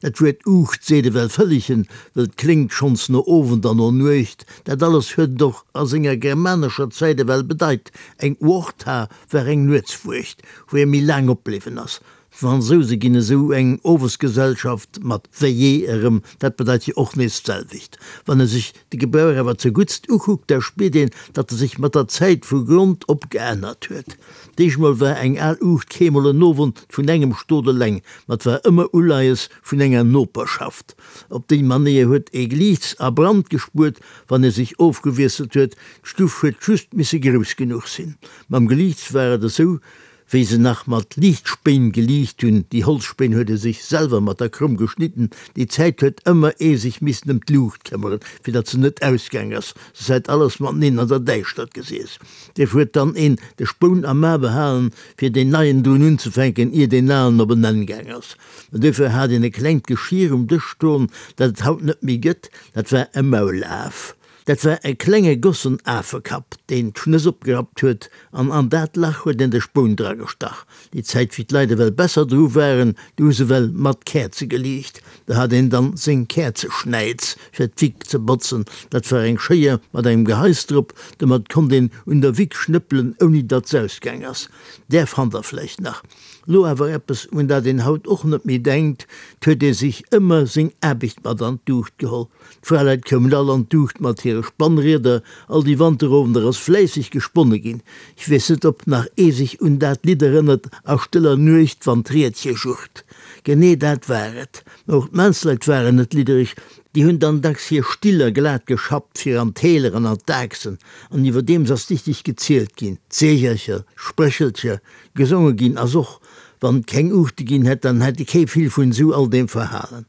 Dat Wuert Uucht seet ewell Vëllegen, wëll 't kléngt schonns no Owend an no Nuecht. Dat alles huet et och a senger germanescher Zäit ewell bedeit. Eng Uochta war eng Nuetswuecht, wou ee méi laang opbliwwen ass. D'Fransouse ginn esou eng Owesgesellschaft mat Veillée erëm, dat bedeit jo och nees d'selwecht. Wann ee sech de Gebrauch awer zeguttst ukuckt, da spiert een, datt e sech mat der Zäit vu Grond op geännert huet. D'éischt mol war eng al Uucht keemol en Owend vun engem Stot eleng, ma 't war ëmmer Uleies vun enger Noperschaft. Op déi Manéier huet ee Gliichts a Brand gespuert, wann ee sech ofgewiesselt huet. D'Stuff huet just misse grouss genuch sinn. Mam Geliichts war et esou, wéi se nach mat Liichtspéin geliicht hunn, déi Holzspéin huet ee sech selwer mat der Kromm geschnidden. Déi Zäit huet ëmmer ee sech missen ëm d'Luucht këmmeren, fir datt se net ausgaang ass, soss hätt alles mateneen an der Däischtert gesiess. Dierf huet dann een de Spoun am A behalen, fir deen neien drun unzefänken, ier deen alen op en Enn gaang ass. Mä duerfir hat een e klengt Geschir um Dësch stoen, dat et haut net méi gëtt, dat war e Maulaf. Dat war e klenge gossen Afekapp, deen d'Schnëss opgerappt huet, an an dat Lach huet een de Spoun dragestach. Déi Zäit, wéi d'Leit ewell besser dru waren, du hu se ewell mat Käerze geliicht. Da hat een dann seng Käerzeschnäiz fir d'Wick ze botzen. Dat war eng Schéier mat engem Geheis drop, domat konnt een un der Wick schnëppelen, ouni datt s'ausgaang ass. Där fannt der vläicht nach. Lo awer eppes, un dat een haut och net méi denkt, 't huet ee sech ëmmer seng Aarbecht mat an d'Duucht geholl. D'Fraleit koumen all an d'Duucht mat hire Spannrieder, all déi Wanterowender ass fläisseg gesponne ginn. Ech weess net, ob nach ee sech un dat Lidd erënnert, A stëller Nuecht, wann d'Riedche jurrt. Genee dat war et. Mä och d'Maansleit waren net liddereg, déi hunn dann dacks hir Stiller glat geschappt fir an d'Täler an an d'Aachsen, an iwwerdeems ass dichteg gezielt ginn, d'Seegercher, d'Spréchelcher gesonge ginn ass och. Wann et keng Uuchte ginn hätt, dann hätt kee vill vun esou all deem verhalen.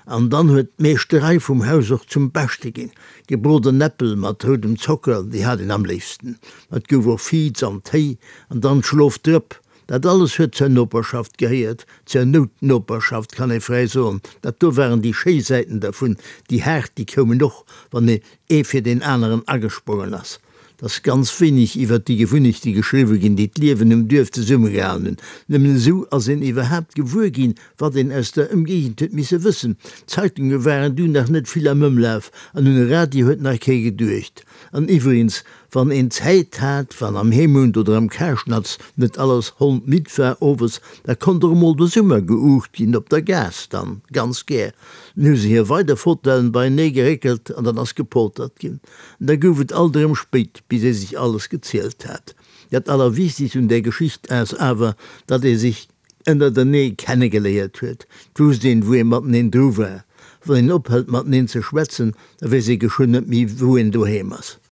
An dann huet d'Meeschterei vum Haus och zum Beschte ginn. Gebroden Äppel mat roudem Zocker, déi hat een am léifsten. Mä et gouf och Viz an Téi an dann d'Schlofdrëpp. Dat alles huet zur Noperschaft gehéiert, zur Noutnoperschaft kann ee fräi soen. Dat do waren déi schéi Säiten dervun, déi haart, déi koumen och, wann ee fir deen aneren agesprongen ass. Et ass ganz wéineg iwwert déi Gewunnechte geschriwwe ginn, déi d'Liewen um Duerf zesummegehalen hunn. Nëmmen esou ass een iwwerhaapt gewuer ginn, wat een aus der Ëmgéigend huet misse wëssen. D'Zeitunge waren du nach net vill am Ëmlaf an un e Radio huet nach kee geduecht. An iwwregens, Wann een Zäit hat, wann am Heemhund oder am Karschnatz net alles hondmidd war owes, da konnt och emol de Summer geuucht ginn, op der Gaass dann ganz gär. Dann hu se hir weider Fotellen beienee geréckelt an dann ass gepoltert ginn. An da gouf et alt erëm spéit, bis ee sech alles gezielt hat. Dat Allerwichtegst un där Geschicht ass awer, datt ee sech ënnertenee kennegeléiert huet. 't wousst een, wou ee mateneen dru war. Wann een ophält mateneen ze schwätzen, da weess ee geschwënn net méi, wou een doheem ass.